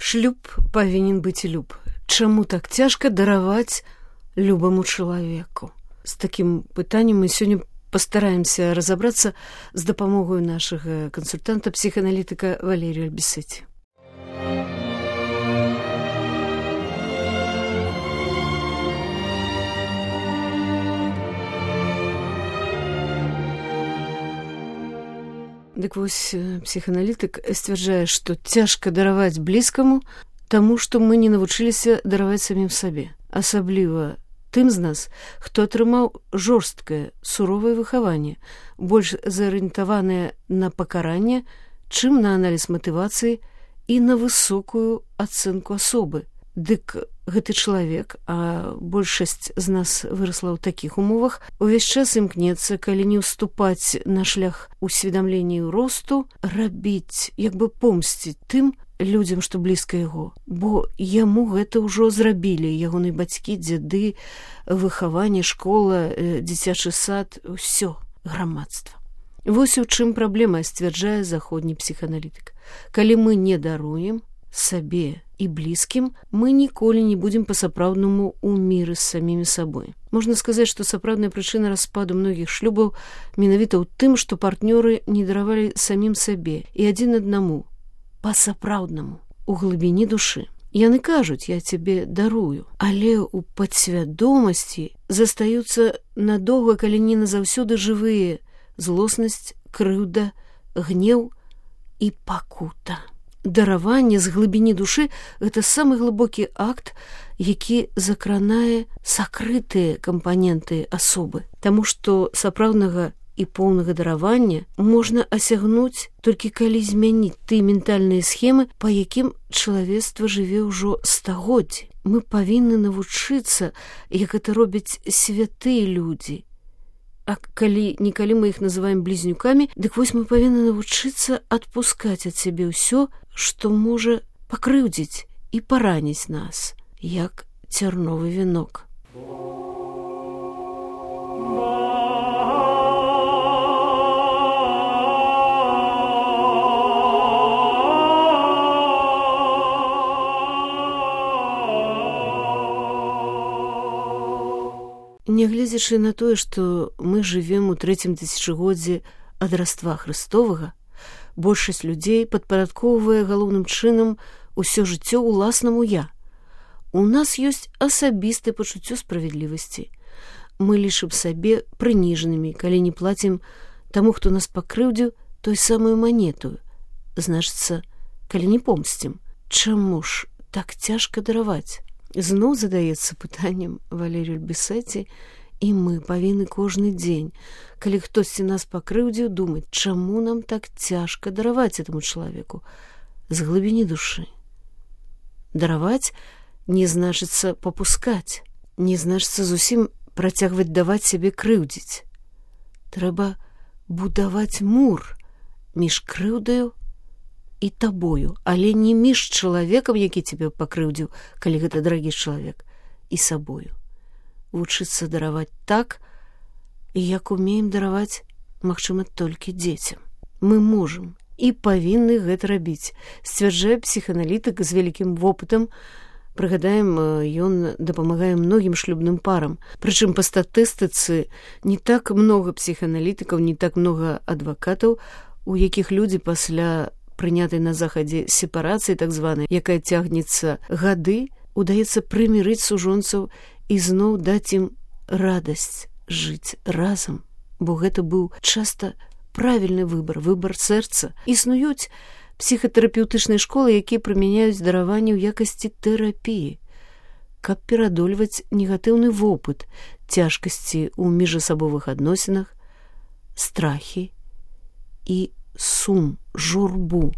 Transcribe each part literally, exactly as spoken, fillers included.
Шлюб павінен быць люб. Чаму так цяжка дараваць любаму чалавеку? З такім пытаннем мы сёння пастараемся разабрацца з дапамогаю нашага кансультанта, псіхааналітыка Валерія Альбісеці. Дык вось псіхааналітык сцвярджае, што цяжка дараваць блізкаму, таму што мы не навучыліся дараваць самім сабе. Асабліва тым з нас, хто атрымаў жорсткае, суровае выхаванне, больш зарыентаванае на пакаранне, чым на аналіз матывацыі і на высокую ацэнку асобы. Дык гэты чалавек, а большасць з нас вырасла ў такіх умовах, увесь час імкнецца, калі не ўступаць на шлях усведамлення і росту, рабіць, як бы помсціць тым людзям, што блізка яго. Бо яму гэта ўжо зрабілі ягоныя бацькі, дзяды, выхаванне, школа, дзіцячы сад, усё, грамадства. Вось у чым праблема, сцвярджае заходні псіхааналітык. Калі мы не даруем сабе і блізкім, мы ніколі не будзем па-сапраўднаму ў міры з самімі сабой. Можна сказаць, што сапраўдная прычына распаду многіх шлюбаў менавіта ў тым, што партнёры не даравалі самім сабе і адзін аднаму, па-сапраўднаму, у глыбіні душы. Яны кажуць, я цябе дарую, але ў падсвядомасці застаюцца надоўга, калі не назаўсёды жывыя злоснасць, крыўда, гнеў і пакута. Дараванне з глыбіні душы – гэта самы глыбокі акт, які закранае сакрытыя кампаненты асобы. Таму што сапраўднага і поўнага даравання можна асягнуць толькі калі змяніць тыя ментальныя схемы, па якім чалавецтва жыве ўжо стагоддзі. Мы павінны навучыцца, як гэта робяць святыя людзі. А калі некалі мы іх называем блізнюкамі, дык вось мы павінны навучыцца адпускаць ад сябе ўсё, што можа пакрыўдзіць і параніць нас, як цярновы вянок. Нягледзячы на тое, што мы жывем у трэцім тысячагоддзі ад раства Хрыстовага, большасць людзей падпарадкоўвае галоўным чынам усё жыццё ўласнаму «я». У нас ёсць асабістае пачуццё справядлівасці. Мы лічым сабе прыніжанымі, калі не плацім таму, хто нас пакрыўдзіў, той самую манету. Значыцца, калі не помсцім. Чаму ж так цяжка дараваць? Зноў задаецца пытаннем Валерію Альбісеці, і мы павінны кожны дзень, калі хтосьці нас пакрыўдзіў, думаць, чаму нам так цяжка дараваць этаму чалавеку з глыбіні душы. Дараваць не значыцца папускаць, не значыцца зусім працягваць даваць сябе крыўдзіць. Трэба будаваць мур між крыўдаю і табою, але не між чалавекам, які цябе пакрыўдзіў, калі гэта дарагі чалавек, і сабою. Вучыцца дараваць так, як умеем дараваць, магчыма, толькі дзецям. Мы можам і павінны гэта рабіць, сцвярджае псіхааналітык з вялікім вопытам. Прыгадаем, ён дапамагае многім шлюбным парам. Прычым па статыстыцы не так многа псіхааналітыкаў, не так многа адвакатаў, у якіх людзі пасля прынятай на захадзе сепарацыі, так званай, якая цягнецца гады, удаецца прымірыць сужонцаў і зноў даць ім радасць жыць разам, бо гэта быў часта правільны выбар, выбар сэрца. Існуюць псіхатэрапеўтычныя школы, якія прымяняюць дараванне ў якасці тэрапіі, каб перадольваць негатыўны вопыт, цяжкасці ў міжасабовых адносінах, страхі і сум, журбу,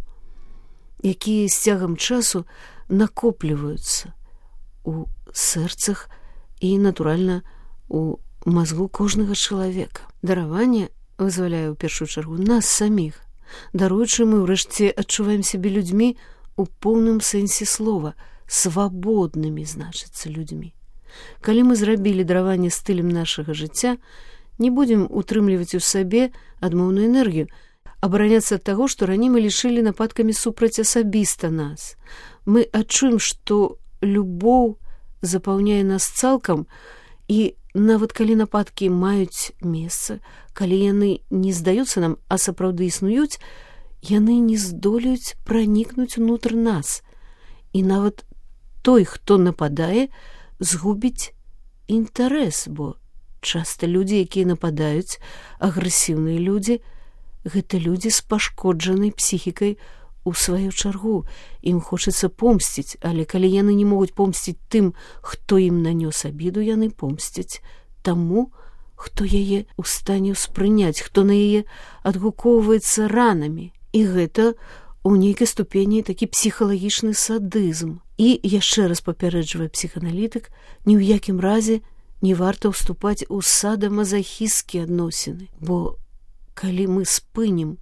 якія з цягам часу накопліваюцца у сэрцах і, натуральна, у мазгу кожнага чалавека. Дараванне вызваляе ў першую чаргу нас саміх. Даруючы, мы ўрэшце адчуваем сябе людзьмі у поўным сэнсе слова, свабоднымі, значыцца, людзьмі. Калі мы зрабілі дараванне стылем нашага жыцця, не будзем утрымліваць у сабе адмоўную энергію, абараняцца ад таго, што раней мы лічылі нападкамі супраць асабіста нас. мы адчуем, што любоў запаўняе нас цалкам, і нават калі нападкі маюць месца, калі яны не здаюцца нам, а сапраўды існуюць, яны не здолеюць пранікнуць унутр нас. І нават той, хто нападае, згубіць інтарэс, бо часта людзі, якія нападаюць, агрэсіўныя людзі, гэта людзі з пашкоджанай псіхікай у сваю чаргу. Ім хочацца помсціць, але калі яны не могуць помсціць тым, хто ім нанёс абіду, яны помсцяць таму, хто яе ў стане ўспрыняць, хто на яе адгукоўваецца ранамі. І гэта у нейкай ступені такі псіхалагічны садызм. І яшчэ раз папярэджвае псіханалітык, ні ў якім разе не варта ўступаць у садамазахісцкія адносіны, бо калі мы спынім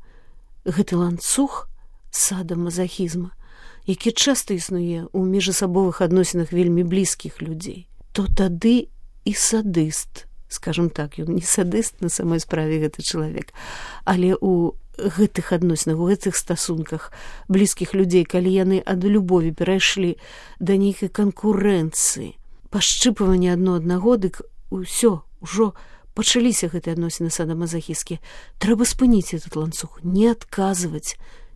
гэты ланцуг садамазахізма, які часта існуе ў міжасабовых адносінах вельмі блізкіх людзей, то тады і садыст, скажам так, ён не садыст на самой справе гэты чалавек, але у гэтых адносінах, у гэтых стасунках блізкіх людзей, калі яны ад любові перайшлі да нейкай канкурэнцыі, пашчыпвання адно аднаго, дык усё, ужо пачаліся гэтыя адносіны садамазахісцкія. Трэба спыніць этот ланцуг, не адказваць,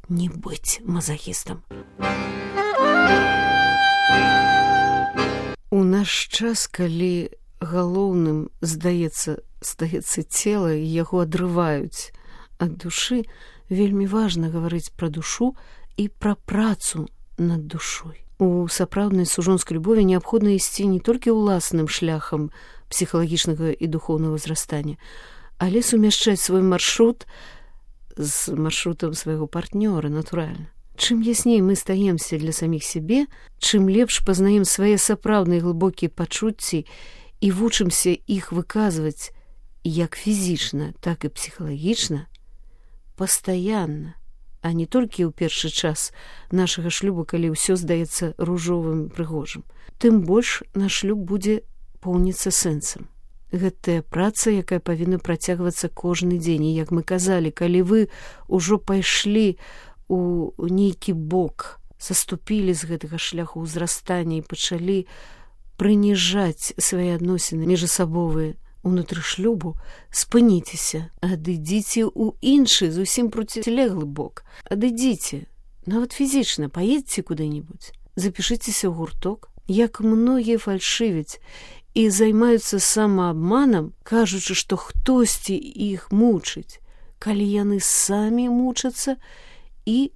не быць мазахістам. У наш час, калі галоўным здаецца, здаецца цела, і яго адрываюць ад душы, вельмі важна гаварыць пра душу і пра працу над душой. У сапраўднай сужонскай любові неабходна ісці не толькі ўласным шляхам псіхалагічнага і духоўнага ўзрастання, але сумяшчаць свой маршрут з маршрутам свайго партнёра, натуральна. Чым ясней мы стаемся для саміх сябе, чым лепш пазнаем свае сапраўдныя глыбокія пачуцці і вучымся іх выказваць як фізічна, так і псіхалагічна, пастаянна, а не толькі ў першы час нашага шлюбу, калі ўсё здаецца ружовым, прыгожым. Тым больш наш шлюб будзе поўніцца сэнсам. Гэтая праца, якая павінна працягвацца кожны дзень. І, як мы казалі, калі вы ўжо пайшлі у нейкі бок, саступілі з гэтага шляху ўзрастання і пачалі прыніжаць свае адносіны міжасабовыя унутры шлюбу, спыніцеся, адыдзіце ў іншы, зусім процілеглы бок. Адыдзіце, нават фізічна, паедзьце куды-небудзь, запішыцеся ў гурток. Як многія фальшывяць і займаюцца самаабманам, кажучы, што хтосьці іх мучыць, калі яны самі мучацца і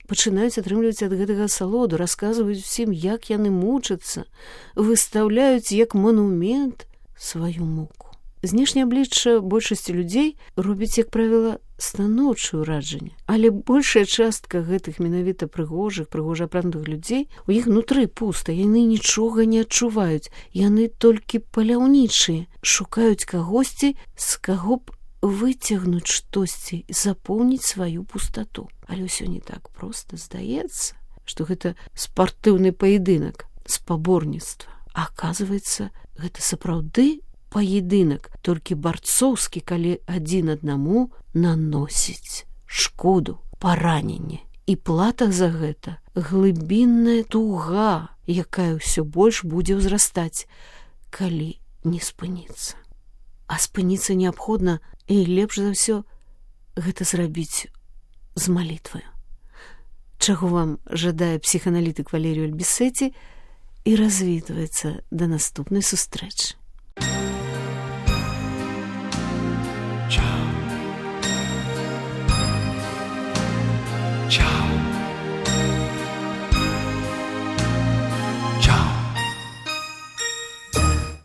пачынаюць атрымліваць ад гэтага асалоду, расказваюць усім, як яны мучацца, выстаўляюць як манумент сваю муку. Знешняе аблічча большасці людзей робіць, як правіла, станоўчае ўражанне. Але большая частка гэтых менавіта прыгожых, прыгожа апранутых людзей, у іх нутры пуста, яны нічога не адчуваюць, яны толькі паляўнічыя, шукаюць кагосьці, з каго б выцягнуць штосьці і запоўніць сваю пустату. Але ўсё не так проста. Здаецца, што гэта спартыўны паядынак, спаборніцтва. А аказваецца, гэта сапраўды паядынак, толькі барцоўскі, калі адзін аднаму наносіць шкоду, параненне. І плата за гэта глыбінная туга, якая ўсё больш будзе ўзрастаць, калі не спыніцца. А спыніцца неабходна, і лепш за ўсё гэта зрабіць з малітваю. Чаго вам жадае псіханалітык Валерію Альбісеці і развітваецца да наступнай сустрэчы.